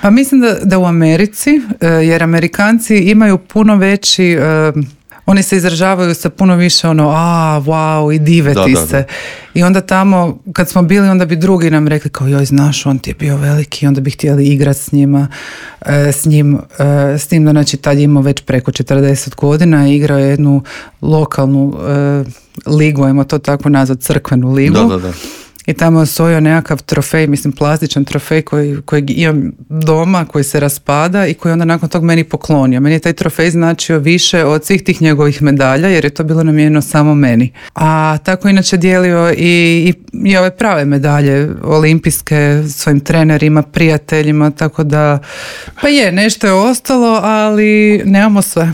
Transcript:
Pa mislim da u Americi, jer Amerikanci imaju puno veći, oni se izražavaju sa puno više wow, i diveti se. I onda tamo, kad smo bili, onda bi drugi nam rekli kao, joj, znaš, on ti je bio veliki, onda bi htjeli igrati s njima, s tim da, znači, tad je imao već preko 40 godina i igrao je jednu lokalnu ligu, ajmo to tako nazvat, crkvenu ligu. Da. I tamo je osvojio nekakav trofej, mislim plastičan trofej kojeg imam doma, koji se raspada i koji onda nakon tog meni poklonio. Meni je taj trofej značio više od svih tih njegovih medalja, jer je to bilo namijenjeno samo meni. A tako inače dijelio i ove prave medalje olimpijske svojim trenerima, prijateljima, tako da pa nešto je ostalo, ali nemamo sve.